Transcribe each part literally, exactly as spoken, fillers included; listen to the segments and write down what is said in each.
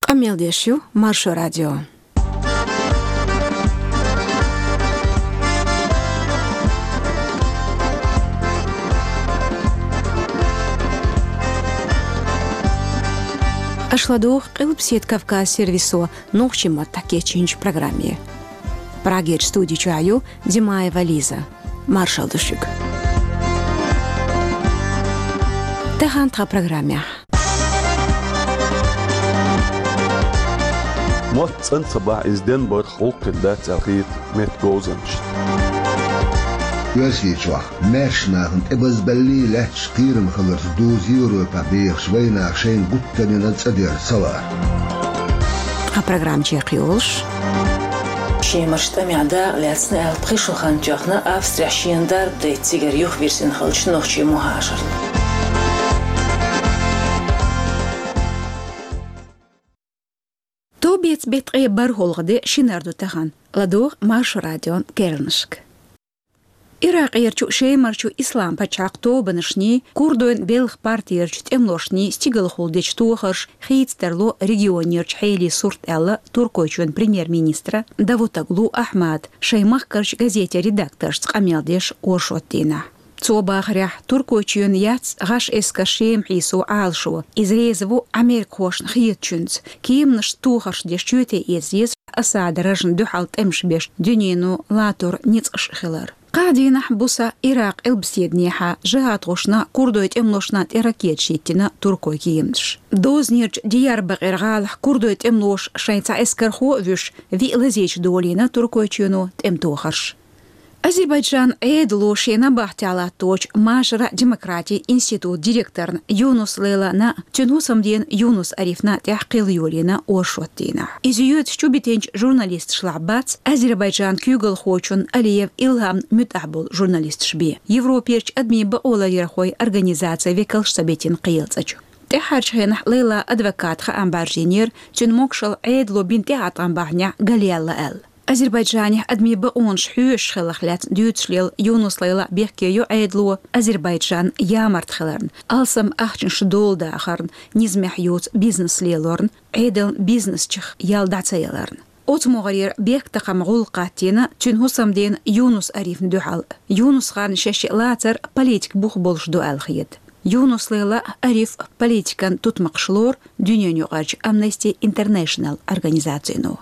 Къамел деш ю Маршо радио. Аша ладугӀу Къилбаседа Кавказ сервисо нохчийн маттахь кечйинчу программе. Прагерчу студи чохь ю Димаева Лиза. Маршалла ду шуьга. Тахана тхан программехь. Мотт цӀан ца бахь, иза денбарх гӀуллакх хир дац аьлла хета меттан говзанчашна. Оьрсийчохь маьрша нахана тӀебазбаллий лаьтташ кхерам хиларца дузу Европехь бехаш вайнах шайна гуттар а йина цӀа дер ца лаар. Тхан программа чекхйолуш. Шемарчу тӀамехь дакъа лаьцна аьлла, пхи шо хан тоьхна Австрехь шена дарба дайта цигара юхавирзина хиллачу нохчийн мухӀажарна. Тобица беттан ткъе бархӀалгӀа де, шинара ду тахана. ЛадогӀа Маршо радион керланашка. Иракъерчу Шемарчу Ислам-пачхьалкх тобанашний, курдойн белхан партиерчу тӀемалошний стигалхула дечу тохарша хийцадарло регионерчу хьелий сурт аьлла Туркойчоьнан премьер-министра Давутоглу Ахьмада шайн махкарчу газетийн редакторшца къамел деш оршот дийнахь. Цо бахарехь, Туркойчоьнан яц гӀаш эскар Шема хьийсо Ӏалашо. Иза реза ву америкахошна хетачуьнца, кеманашца тохарш деш чоьте эца еза Асадан рожна дуьхьал тӀемаш беш дуьнено латор ницкъаш хилар. Кхаа дийнахь буса Иракъ Къилбаседанехьа жихӀадхошна, курдойн тӀемалошна тӀе ракеташ йиттина туркойн кеманаша. Дозанерчу Диярбакъир гӀалахь курдойн тӀемалоша шайн цхьа эскархо а вуьйш, виъ лазийча долийна Туркойчоьно тӀематохарш. Азербайджанан Ӏедало шен набахтехь латточу машаро-демократин институтан директорна Юнус Лейлана, цуьнан хӀусамдена Юнус Арифна тӀехь кхел йолийна оршот дийнахь. Иза йоьдуш чубитинчу журналисташлахь бац Азербайджанан куьйгалхочун Алиев Илгьаман муьтӀахь болу журналисташ бен, Европерчу адамийн бакъоларъярхойн организацин векалш ца битина кхелан цӀа чу. ТӀаьххьарчу хенахь Лейлан адвоката хаам бӀаржийнера, цуьнан могушалла Ӏедало бина тӀеӀаткъам бахьанехь галъяьлла аьлла. Азербайджанехь адамийн бакъонаш хьоьшуш хиларх лаьцна дуьйцуш лела Юнус Лейла бехке йо Ӏедало Азербайджан ямарта хиларна, алсам ахчанаш дола дахарна, низамехь йоцу бизнес лелорна, Ӏедалан бизнесчех ял дӀа ца яларна. Оцу могӀарера бехктакхаман гӀуллакх хӀоттийна цуьнан хӀусамдена Юнус Арифна дуьхьал. Юнусханна шаьш лацар политикан бух болуш ду аьлла хета. Юнус Лейла а, Ариф а политикан тутмакхаш лору дуьненаюкъарчу Amnesty International организацино.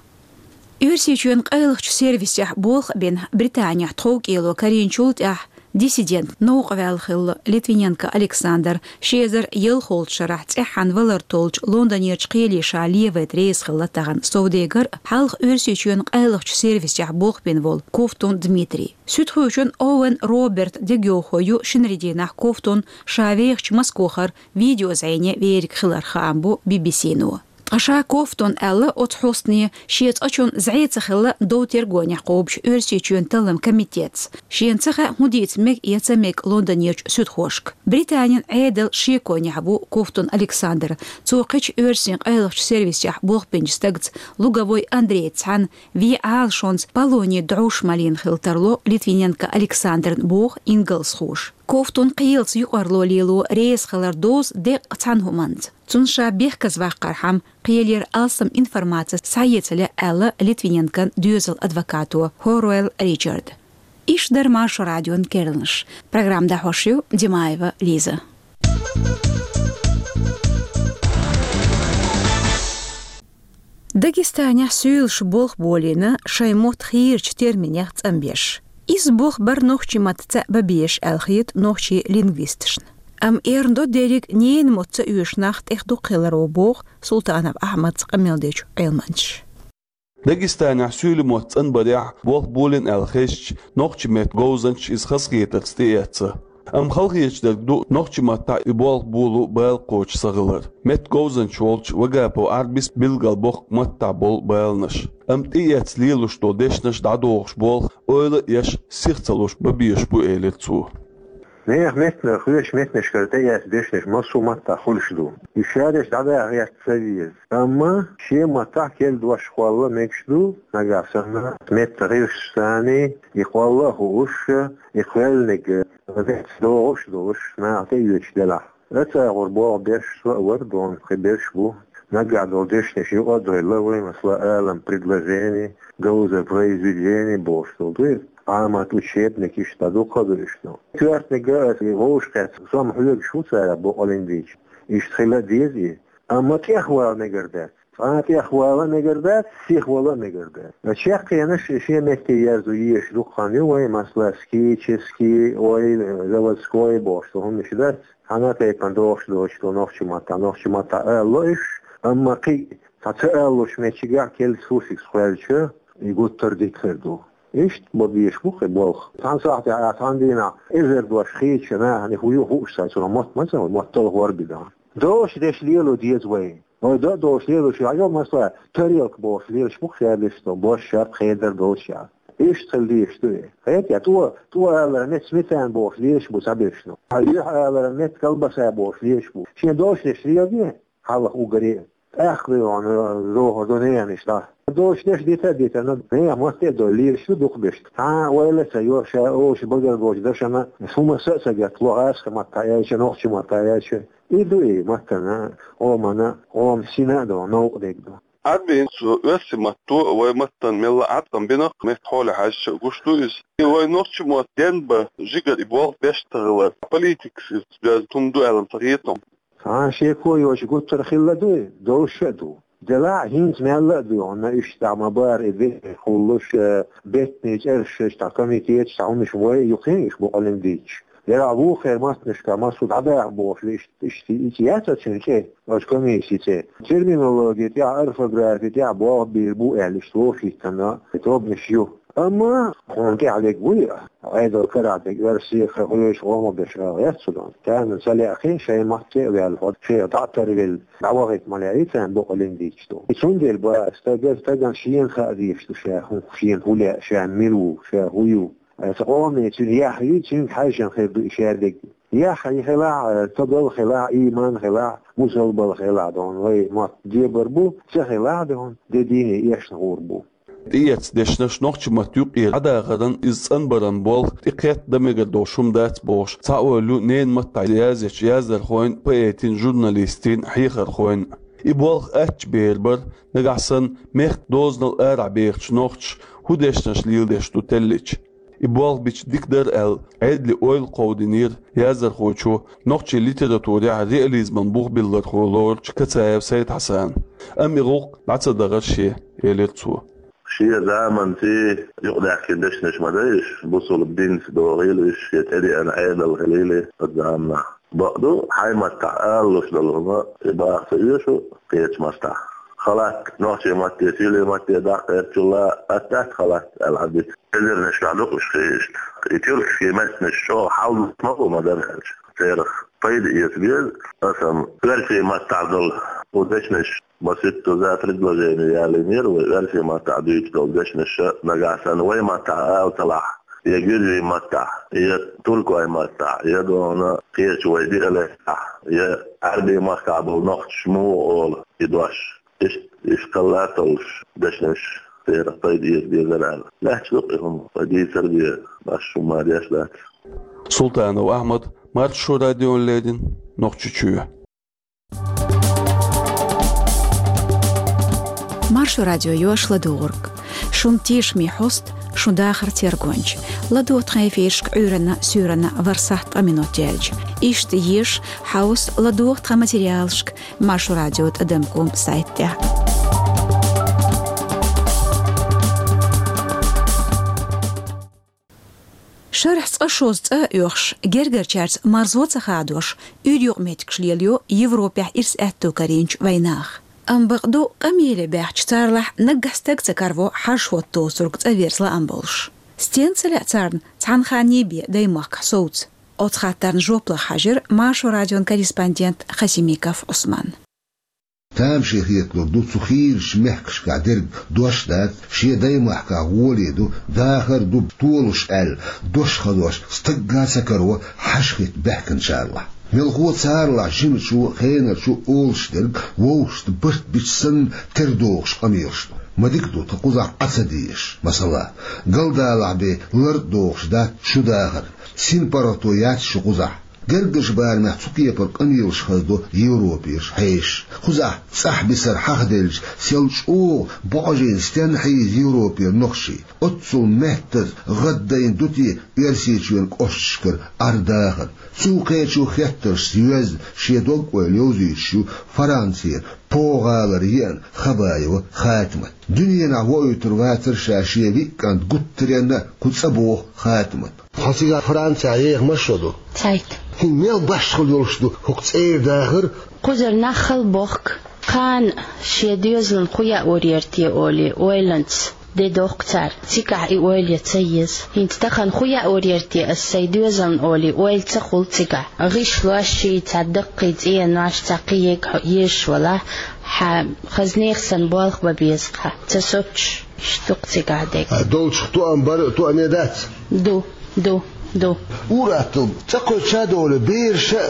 Оьрсийчоьнан къайлахчу сервисехь болх бина Британехь тховкӀело карийначул тӀаьхьа диссидент новкъа ваьлла хилла Литвиненко Александр ши эзар ялхолгӀачу шарахь цӀеххьана валар толлучу Лондонерчу кхеле ша левайта реза хилла тахана совдегар а, хьалха Оьрсийчоьнан къайлахчу сервисехь болх бина волу Ковтун Дмитрий. Суьдхочун Оуэн Роберт дегайовхо ю шинарин дийнахь Ковтун ша вехачу Москвахара видеозӀене вериг хиларх хаам бу Би-Би-Си-но. Ткъа ша Ковтун аьлла оцу хьостане, шен цӀа чунна зӀе ца хилла дов-тергонехь кхобучу Оьрсийчоьнан талламан комитетца. Шена ца хаьа, хӀун дийца мега я ца мега Лондонерчу суьдхошка. Британин Ӏедалан шеконехь ву Ковтун Александр. Цо кхечу оьрсийн къайлахчу сервисехь болх бинчу стагца, Луговой Андрейца цхьаьна, вен Ӏалашонца полоний дӀовш малийна хила тарло Литвиненко Александрна, боху ингалсхоша. Ковтун кхелаца юкъарло лело реза хилар дозу деккъа цхьана хӀуманца. Цунна ша бехказаваккхархьама, кхелера алсам информаци схьаэца лаьа аьлла Литвиненкон доьзалан адвокато Хоруэлл Ричарда. Иштта дара Маршо радион керланаш. Программа дӀахьош ю Димаева Лиза. Дагестанехь суьйлаша болх болийна шайн мотт хийрачу терминех цӀанбеш. Иза болх бар нохчийн маттаца бан безаш аьлла хета нохчийн лингвисташна. Амма эрна до дерриг ненан мотт ца оьшу нах тӀех дукха хиларо, боху Султанов Ахьмадца къамел дечу Ӏилманчаша. Дагестанехь суьйлийн мотт цӀанбарехь болх болийна аьлла хезча, нохчийн меттан говзанчаша иза хазахетарца тӀеэцна. Амма халахеташ дерг ду нохчийн маттахь и болх боло бала кхочуш ца хилар. Меттан говзанча волчу Вагапов Ӏарбис билгалбоккху маттахь болу баланаш. Амма тӀеэцна лелош долу дешнаш дӀадохуш болх ойла а еш, сиха ца луш бан безаш бу, элира цо. Нехан меттанара, кхечу меттанашкара тӀеэцна дешнаш массо а маттахь хуьлуш ду. И шадерш дӀадаха гӀерта ца веза. Амма шен маттахь керла дош кхолла мегаш ду, нагахь санна меттан гӀирсаш санна, и кхолла а хууш, и кхоьллинарг дегӀаца догӀуш а долуш, наха тӀеоьцуш делахь. Оцу агӀор болх беш со а вара, дона кхин берш бу. Нагахь долу дешнаш юкъа а дойла вай, масала, алам предложение, говза произведение бохуш долу дуй. Ӏамат учебник иштта дукха ду иштта. Коьртаниг а аса вовшахкхетта, сом хьоьгуш ву цара бокъалин дийча. Иштта хила а деза и. Амма тӀехвала мегар дац. Цкъа а тӀехвала а мегар дац, сихвала а мегар дац. Чаккхенаш шен метте ерзо езаш дукха хан ю вай, масала, скический, ой, заводской бохуш долу хӀуманаш дац. Цхьана а тайпана догӀуш доцуш ду нохчийн маттахь, нохчийн маттахь ала ло уьш, амма кхин а цхьа ца алалуш меттигехь, кельца хӀусигс кхоьллича, и гуттар а дика хир ду. Иштта бо безаш бу кхин болх. Цхьана сахьтехь а, цхьана дийнахь эзар дош хийцачу нахана хӀу ю хууш ца, цунах мотт ма ца, мотт талхор а бина. Дош деш лело деза вай. Вай до-, дош лелош, хьажал, масала, тарелка бохуш лелаш бу шаьрдаш, со бош шарт хедар долчехь. Иштта хила дезаш ду и. Хета, тӀо, тӀо алара метта сметана бохуш лелаш бу цхьаберш. Хьан юьхь алара метта колбаса бохуш лелаш бу. Шен дош деш лело де, хьалха уггаре. ТӀаккха вай вахана, дохур ду ненан иштта. Дош деш дита а дита, но нехан мотт а дой лелаш ду дукха беш. Цхьа а ойла а ца йо, ша олуш багара болчу дашана, хӀума са а ца гатта, ло аска маттахь аьлча, нохчийн маттахь аьлча. И ду и маттана, къомана, къоман сина а ду, новкъа дерг ду. Ӏарбин цо оьрсийн матто а, вай маттана мелла а Ӏаткъам бина, метта хьоле хьаьжча а гуш ду иза. И вай нохчийн мотт денбан жигара и болх беш ца хилар, политикас иза доьзна хӀума ду аьлла ца хета хьуна. Цхьа а шеко йоцуш гуттар а хилла ду и, долуш а ду. Делахь а хӀинца мелла а ду, хӀунда иштта ма бара и бехке кхуллуш, э, беттанийн чӀерашца, цхьа комитеташ, цхьа хӀуманаш вай а ю кхин а, иштта бокъалин дийцча. Делахь а вукхеран маттанашкахь массо а дӀадаха бохуш, иштта, иштта, иштта яц цуьнан цӀе, оцу комиссин цӀе. Терминологи тӀехь, орфографи тӀехь болх бийр бу аьлла, иштта вовшахӀиттина тобанаш ю. Амма хьуна тӀехь дерг вуй, Ӏедал карахь дерг, оьрсийн, хьоьжуш гӀо ма беш ала яц цу дон. Царна ца лаьа кхин, шайн матте а ваьлла, хьо шех дӀа а тарвелла, дӀавахийта ма лаьа, и царна бокъалин дийцча ду. И цундела бара, стага, стагана шена хаа дезаш ду ша, хӀун, шена хӀун лаьа, ша мила ву, ша хӀун ю. Аса къоме цуьнан яхь юй, цуьнга хьаьжжина хир ду и шаьрдиг. Яхь хилахь, стагал хилахь, ийман хилахь, мусалбал хилахь, дон, вай мотт дебар бу, ца хилахь, дон, де дийне эшна гӀур бу. ТӀеэцна дешнаш нохчийн матта юкъера дӀадахаран, иза цӀанбаран болх тӀекхетта дан мегар долуш хӀума дац бохуш, цхьа ойла ю ненан маттахь язъечу яздархойн, поэтийн, журналистийн, хьехархойн. И болх аттачу бер бара, нагахь санна мехкан дозанал арахь бехачу нохчаша хӀун дешнаш леладеш ду теллича. И болх бича дика дара аьлла, Ӏедале ойла кховдийнера яздархочо, нохчийн литературехь реализман бух биллархо лоручу Кацаев Сайд-Хьасана. Амма и гӀуллакх дӀа ца дахара шен, элира цо. Шен заманца юкъадаьхкина дешнаш ма дай уьш, бусалба динца догӀийла уьш, я тӀедеана Ӏедал хилийла оцу заманахь. Бакъду, хьайн маттахь алалуш долу хӀума тӀебаха ца оьшу кхечу маттахь. Халат нохчийн матте, сийлен матте даккха гӀертачул а, атта халат аьлла хьан дита. Эзарнаш чохь ду уьш хиъна иштта. И тюркский меттанаш чӀогӀа хьал ма бу ма-дарра аьлча. Церах пайда эца беза, аса-м оьрсийн маттахь долу кху дешнаш, маситтаза предложение ялийнера вай, оьрсийн маттахь дуьйцуш долу дешнаш, нагахь санна вай маттахь ала ца лахь, я гуьржийн маттахь, я туркойн маттахь, я дона кхечу вай диалектехь, я Ӏаьрбийн махкахь болу нохчаша муха олу и дош. Иштта, иштта кхалла а толлуш, дешнаш церах пайда эца безара аьлла. Лаьтташ ду-кх и хӀума, вай дийцар бен, башха хӀума ма деш дац. Султанов Ахьмад, Маршо радиона леррина, Нохчийчоь. Маршо радио, йош ладугӀург. Шун тешаме хьост, шун дахар тергонча. ЛадугӀа тхан эфирашка Ӏуьйранна, суьйранна ворхӀ сахьт ткъа минот яьлча. Иштта еза, хьовса, ладугӀа тхан материалашка Маршо радио тӀадам ком сайтехь. Шарахь цкъа шозза цӀа а оьхуш, гергарчаьрца марзо ца хадош, уьйр юкъаметтигаш лелайо Европехь ирс аьтто карийначу вайнаха. Амма бакъду, къамеле баьхча царлахь наггахь стаг ца караво хьажа хӀотта доцург цӀа верза лаам болуш. Стенна ца лаьа царна цхьана ханна бен даймахкахь совца? Оцу хаттарна жоп лаха хьаьжира Маршо радион корреспондент Хасимиков Ӏусман. Тамашийна хеталур ду, цу хийрачу мехкашкахь дерг дош дац, шен даймахкахь гӀоле ду, дахар ду толуш аьлла, дош хазош стаг а ца караво хьажа хӀотта баьхкинчарлахь. Мелхо царлахь жимачо, хенарчо олуш дерг вовшашна барт бича санна тера догӀуш къамелаш ду. Ма дика ду тхан кхузахь Ӏа ца дезаш. Масала, галдалахь бен лар а дохуш дац шун дахар, синпаргӀато яц шун кхузахь. Гергарчу барамехь цу кепара къамелаш хазадо Европераш хьешаш. Кхузахь цӀахь бисар хьахаделча, сел чӀогӀа божийна стенна хьийза Европера нохчий. Оццул меттаза гӀаддайна ду те Оьрсийчоьнан кӀошташкара Ӏар-дахар? Цул кхечу хеттаршца йоьзна шен дог-ойла йовзуьйтуш ю Францера По гӀалара еана Хабаева Хатимат. Дуьненахь воуьйтур вацара ша шен виъ кӀант гуттаренна а, кху цӀа боху Хатимат. Хьо цигахь Францехь еха масса шо ду? Цхьайтта. ХӀинца мел башхалла йолуш ду хӀокху цӀера дахар? Кхузара нах хала бохку, кхана шен доьзална хӀун яа лур яра те олий, ойланца де доккху цара. Цигахь и ойла ян ца еза. ХӀинца тахана хӀун яа лур яра те ас сайн доьзална олий, ойла ца хуьлу цигахь. ГӀишлош, ши цхьа даккхий цӀенош, цхьа кхин ерг хьо езаш валахь, хьан хаза нехан санна болх бан беза хьан. Ца соцуш, иштта ду-кх цигахь дерг. А долчух тоам бар а, тоаме дац? Ду, ду, ду. Ур-атталла, цӀа кхоьчу долу бераш а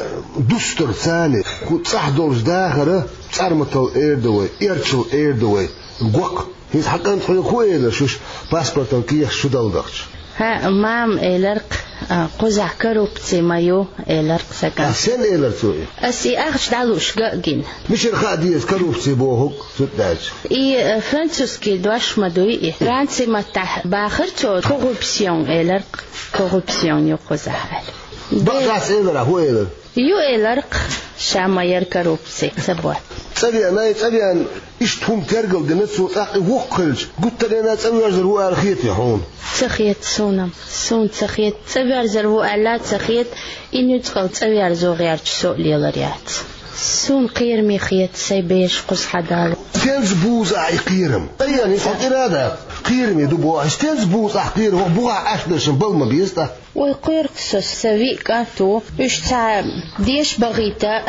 дустар царна, кху цӀахь долчу дахаран цӀарматалла эр ду вай, эрчалла эр ду вай, гок. ХӀинца хьан кӀант хьоьга хӀун элира шуьша паспортан кехаташ чу далдахча? ХӀаъ, мама элира-кх, а, кхузахь коррупци ма ю, элира-кх сан кӀант. Ахь сенна элира цо и? Ас и ахча дӀалуш ган а гина. Мичара хаа деза коррупци бохург, цуьнан даьлча? И, э, французский дош ма дуй и. Франци маттахь бахара цо, коррупсион элира-кх, коррупсион ю кхузахь аьлла. Бакъ дац элира, хӀун элира? Ю элира-кх, ша ма яра коррупци, ца боху. ЦӀа веана, и цӀа веана, иштта хӀума тергал дина цо, тӀаккха и воккха хилча, гуттаренна а цӀа воьрзур ву аьлла хетий хьуна? Ца хета суна-м, суна ца хета, цӀа воьрзур ву аьлла а ца хета, и нуьцкъала цӀа верзо гӀерташ со а лелар яц. Суна кхераме хета сайн бераш кхуза хьадалар. Стенца бузу ахь и кхерам? Айхьа, хьо кӀира а дац, кхераме ду боху ахь. Стенца бузу ахь кхерам? ХӀокху бухахь Ӏаш дерш-м бала ма беза тӀаккха. Вай кхоьру-кх со, сан виъ кӀант ву, уьш цхьа деша бахийта,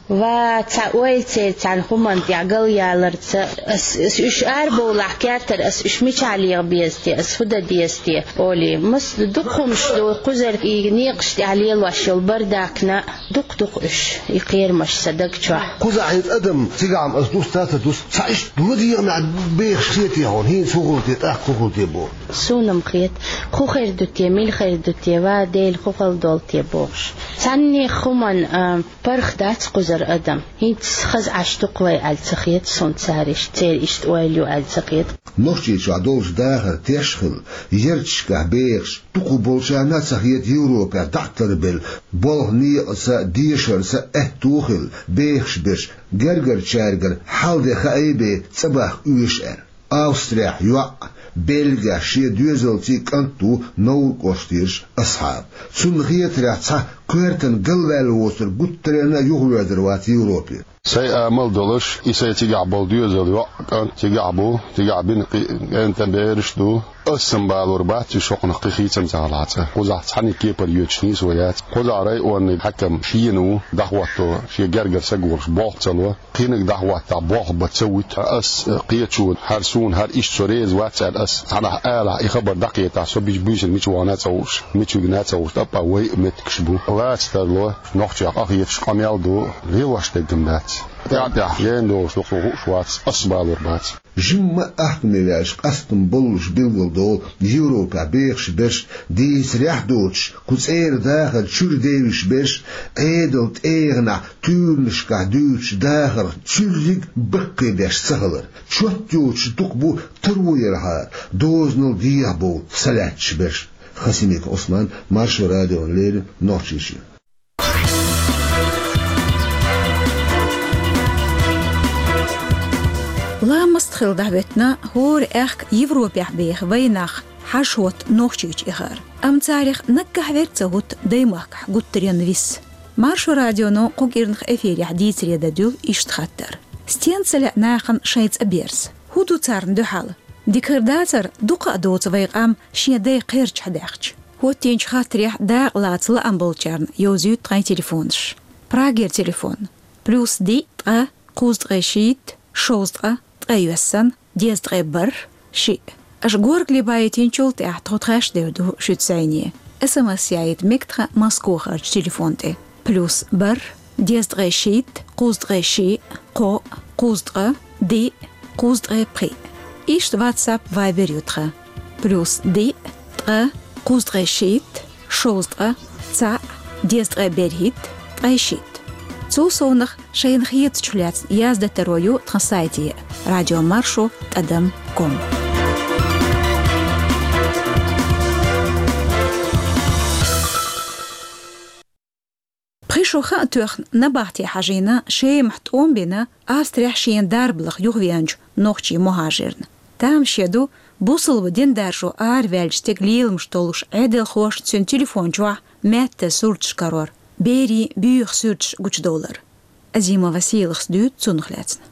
ва цхьа ойла церан цхьана хӀуманна тӀехь галъяларца, ас, ас уьш арабовлахь кертара, ас уьш мичахь леха беза те, ас хӀун дан деза те, олий. Маса дукха хӀумаш ду, кхузара и некъаш тӀехь лелош йолу бардакна, дукха-дукха уьш, и кхерамаш сан даг чохь. Кхузахь хӀинца адам цигахь-м ас дуста а ца дуста, цхьа иштта ладегӀамехь бехаш хетий хьуна, хӀинца хӀун хуьлу те, тӀаккха хӀун хуьлу те боху? Суна-м хета, хӀун хир ду те, мила хир ду те, ва Дела, хӀун хала долу те бохуш. Цхьаннех хӀуманна, а, паргӀат дац кхузара адам. ХӀинца хаза Ӏаш ду-кх вай аьлла ца хета суна цара иштта, церан иштта ойла ю аьлла ца хета. Нохчийчохь долчу дахаран теш а хилла, ярташкахь бехаш дукхах болчарна а ца хета Европехь дӀа а тарбелла, болх-некъаца, дешарца аьтто а хилла, бехаш берш гергарчаьргара хьал-де хаий бен цӀа бахка оьшу аьлла. Австрехь йоӀ, Бельгехь шен доьзалций кӀант ву Новр кӀоштарчу Асхьаб. Цунна хетарехь, цхьа коьртана галваьлла воцург гуттаренна а юхавоьрзур вац Европе. Сайн амал а долуш, и сайн цигахь болу доьзал йоӀ, кӀант цигахь бу, цигахь бина кхин а кӀентан бераш а ду. Ас-м балор бац уьш хӀокхунах кхин хийцамца гӀала цӀа. Кхузахь цхьаьнниг кепара йоьдуш нийса вай яц. Кхузахь районный хьаькам шена ву, дӀахӀотто, шен гергара са гулуш болх ца ло. Кхиниг дӀахӀоттахь болх бан ца вуьту. Ас кхечо, хӀара суна, хӀара иштта со реза вац аьлла, ас цхьанхьа алахь, и хабар дӀакхетахь, со биш-, буьйсанна мича вахана а ца хууш, мича вигна а ца хууш, тӀаккха вай а меттигаш бу. Лаца тарло, нохчех къахеташ къамел а ду, лелош дерг-м дац. ТӀаьхь-тӀаьхьа ена долуш ду-кх, хууш вац, ас балор бац. Жимма а ахкаме ваьлча, къастам боллуш билгалдолу Европехь бехаш берш, дийцарехь а доцуш, кху цӀера дахар чуьра девзаш берш, Ӏедалан тӀегӀанехь туьйранашкахь дуьйцучу дахарх цуьрриг баккхийбеш ца хилар. Чот йоцуш дукха бу таро ярхьара, дозанал дехьабовла са лаьтташ берш. Хасимиков Ӏусман, Маршо радиона леррина, Нохчийчоь. Ламаст хила дӀахӀоьттина хӀора аьхка Европехь беха вайнах хьажа хӀотта Нохчийчу эхар. Амма царах наггахь верг ца хӀутту даймахкахь гуттаренна вис. Маршо радионо кху кӀирнах эфирехь дийцаре дан дуьллу иштта хаттар: стенца лаьа нахана шайн цӀа берза? ХӀун ду царна дуьхьал? Дика хир дацара, дукха а доцу вай къам шен дай кхерчахь даьхча. ХӀоттийначу хаттарехь дакъа лаца лаам болчарна йовзуьйту тхайн телефонаш. Прагера телефон: плюс диъ, ткъа, кхузткъе шийтта, шовзткъа, ткъе йоьссана, дезткъе бархӀ, шиъ. Аша горгали байтинчул тӀаьхьа тхо тхаьш девр ду шуьца зӀене. СМС яийта мега тхан Москохарчу телефон тӀе: плюс бархӀ, дезткъе шийтта, кхузткъе шиъ, кхоъ, кхузткъа, диъ, кхузткъе пхиъ. Иштта WhatsApp, Viber ю тхан: плюс диъ, ткъа, кхузткъе шийтта, шовзткъа, цхьаъ, дезткъе берхӀитта, ткъе шийтта. Цул совнагӀа шайна хетачух лаьцна яздан таро ю тхан сайте радиомаршо тӀадам ком. Пхи шо хан а тоьхна набахте хьажийна, Шемахь тӀом бина, Австрехь шен дарба лаха юхавеанчу нохчийн мухӀажирна. Тамаше ду, бусалба дин даржо араваьллачу стеган леламаш толлуш Ӏедалхошна цуьнан телефон чохь маьттан сурташ карор, берийн буьйху суьрташ гучудовлар. Азимова Сийлахьас дуьйцу цунах лаьцна.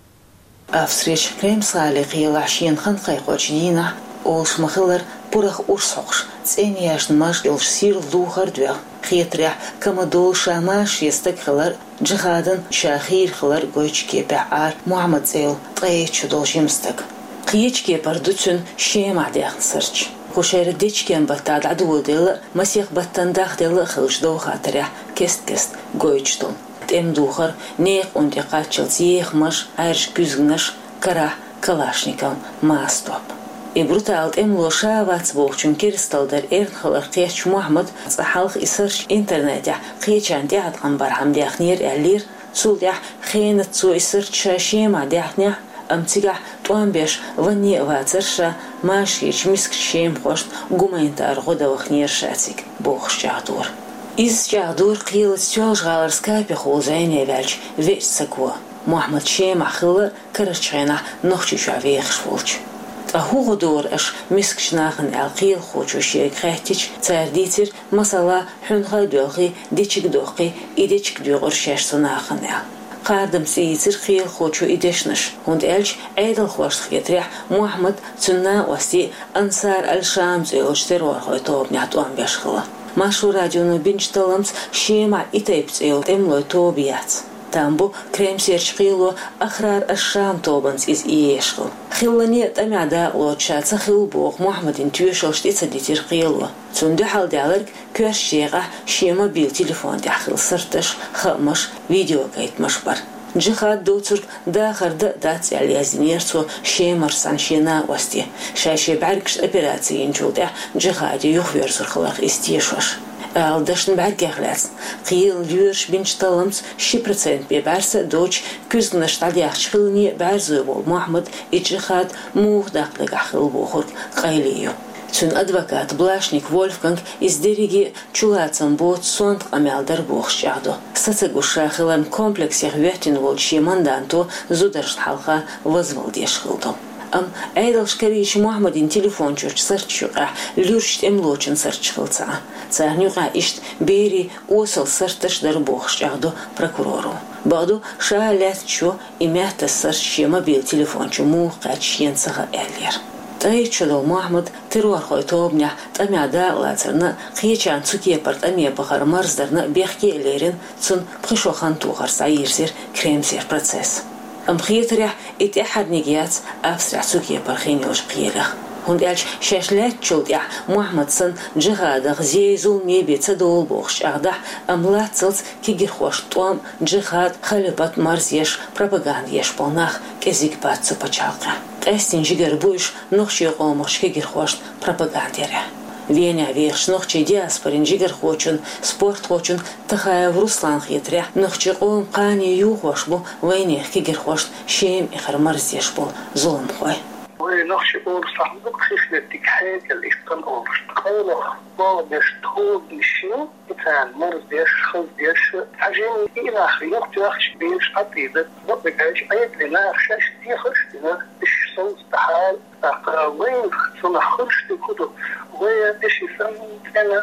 Австрерчу Кремс-гӀалин кхелахь шена хан кхайкхочу дийнахь, олуш ма-хиллара, пурах урс хьокхуш, цӀенъяьшна маж йолуш сирла духар а доьгӀна, хетарехь, кама долу ша машаре стаг хилар а, джихадан ша хийра хилар а гойтучу кепехь Ӏара Мухьаммад цӀе йолу ткъе итт шо долу жима стаг. Кхечу кепара ду цуьнан Шемахь даьхна сурташ. Кху шеран дечкен баттахь дӀадоладелла а, масех баттана дахделла а хиллачу довха-хаттарехь кест-кеста гойтуш долу. ТӀеман духар, некъан тӀе кхаччалц еха маж, Ӏаьржа куьзганаш, карахь калашников маса топ. И бруталан тӀемало ша вац бохучун керсталла дар эрна хилар кхетча, Мухьаммада цкъа хьалха и сурташ интернетехь кхечарна тӀеӀаткъам бархьама даьхнера аьллера, цул тӀаьхьа хенаца цо и сурташ ша Шемахь даьхнехь, амма цигахь тӀом беш ванне а вацара ша, машаречу мискачу шемахошна гуманитар гӀо дан ваханера ша цига, бохуш чӀагӀдора. Иза чӀагӀдора кхелаца Соьлжа-ГӀалара Скапехула зӀене ваьллачу веъчу саго, Мухьаммад Шемахь хилла карарчу хенахь Нохчийчохь вехаш волчу. Ткъа хӀун гӀо дора аша мискачу нахана аьлла кхелахочо шега хаьттича, цара дийцира, масала, хьуьнхай а доьлхий, дечиг а доккхий, и дечиг доькъура шаьш цу нахана аьлла. Кхардамца тӀеийцира кхелахочо и дешнаш, хӀунда аьлча Ӏедалхошна хетарехь Мухьаммад, цуьнан накъостий Ансар аль-Шам цӀе йолчу террорхойн тобанехь тӀом беш хилла. Маршо радионо бинчу талламца Шемахь и тайпа цӀе йолу тӀемалойн тоба яц. Там бу Кремсерчу кхело Ахрар аш-Шам тобанца иза иэш хилла. Хиллане а тӀамехь дакъалоцуш ша ца хилла боху Мухьаммадин тоьшаллаш тӀе ца дитира кхело. Цунна дуьхьал даьлларг коьртачу декъехь шен мобил телефон тӀехь хилла сурташ, хаамаш, видеокхайкхамаш бара. Джихад доцург дахар дан а дац аьлла яздинера цо Шемара санна шен накъосте, ша шен бӀаьргашна операци йинчул тӀаьхьа джихаде юхаверзур хиларх иза тешош. Ала дашна бӀаьргех лаьцна, кхелан лоьраша бинчу талламца ши процент бен бӀаьрса а доцуш, куьзганаш дӀадаьхча хиллане а бӀаьрзой волу Мухьаммад и джихад муха даккха дагахь хилла бохург къайле ю. Цуьнан адвоката Блашник Вольфганга иза дерриге а чулацам боцу сонта къамел дара бохуш чӀагӀдо. Са ца гуш ша хиларна комплексех йоьттина волчу шен манданто зударшна хьалха вазвала деш хилла ду. Амма Ӏедалша карийча Мухьаммадин телефон чуьрчу сурташ юкъахь луьрачу тӀемалочун сурташ хилла ца Ӏа. Царна юкъахь иштта берийн осал сурташ дара бохуш чӀагӀдо прокуроро. Бакъду, ша лаьцначо и маьттан сурт шен мобил телефон чу муха кхаьчна шена ца хаьа аьллера. Ткъе итт шо долу Мухьаммад террорхойн тобанехь тӀамехь дакъалацарна а, кхечарна цу кепара тӀаме бахар марздарна а бехке а лерина, цунна пхи шо хан тохарца дӀайирзира Кремсера процесс. Амма хетарехь, и тӀаьххьарниг яц Австрехь цу кепара хин йолчу кхелех. ХӀунда аьлча шаьш лаьттачул тӀаьхьа Мухьаммад санна джихадах зен-зуламе бен ца довла бохуш чӀагӀдахь, амма лаццалц кегирхошна тӀом, джихад, халифат марзъеш, пропаганда еш болу нах кӀезиг бац цу пачхьалкхехь. Къаьсттина жигара бу уьш нохчийн къомах кегирхошна пропаганда ярехь. Венехь вехачу нохчийн диаспорин жигархочун, спортхочун Тахаев Русланна хетарехь, нохчийн къоман кхане юхош бу вайнехан кегирхошна Шема эхар марздеш болу зуламхой. Вай нохчийн къоман сахьтехь дукха хиш дерг хьекъал иштта хан олуш. Къайлаха боху деш тхуна шен, и царна марздеш, хаздеш, цхьа жимма и нах юхатоьхча, беш Ӏатийда, бакъдерг аьлча, Ӏедале наха шаьш дехаш дина, уьш совцахьара. ТӀаккха вайна цунах хуьлуш дерг хӀун ду? Вай деши санна цӀена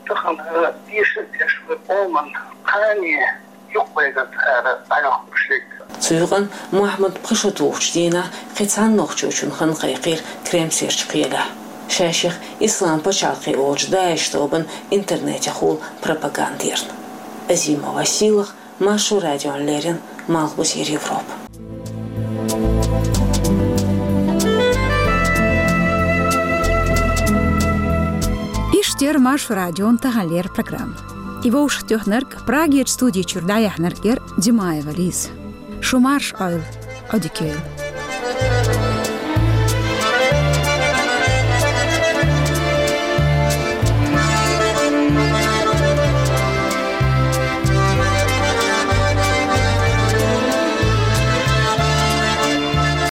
тахана деша а деш, вай къоман кхане юкъабайгарца ара дӀайохкуш дерг. Цу юкъана Мухьаммад пхи шо тухучу дийнахь кхин цхьана нохчочун хан кхайкхийра Кремсерчу кхелехь, шаьшех Ислам пачхьалкхе олучу ДАИШ тобанан интернетехула пропаганда ярна. Азимова Сийлахь, Маршо радиона леррина, Малхбузера Европа. Иштта яра Маршо радион таханлера программа. И вовшахтоьхнарг, Прагерчу студи чуьра дӀаяьхьнарг яра Димаева Лиза. Шу марша Ӏойла, Ӏодика йойла.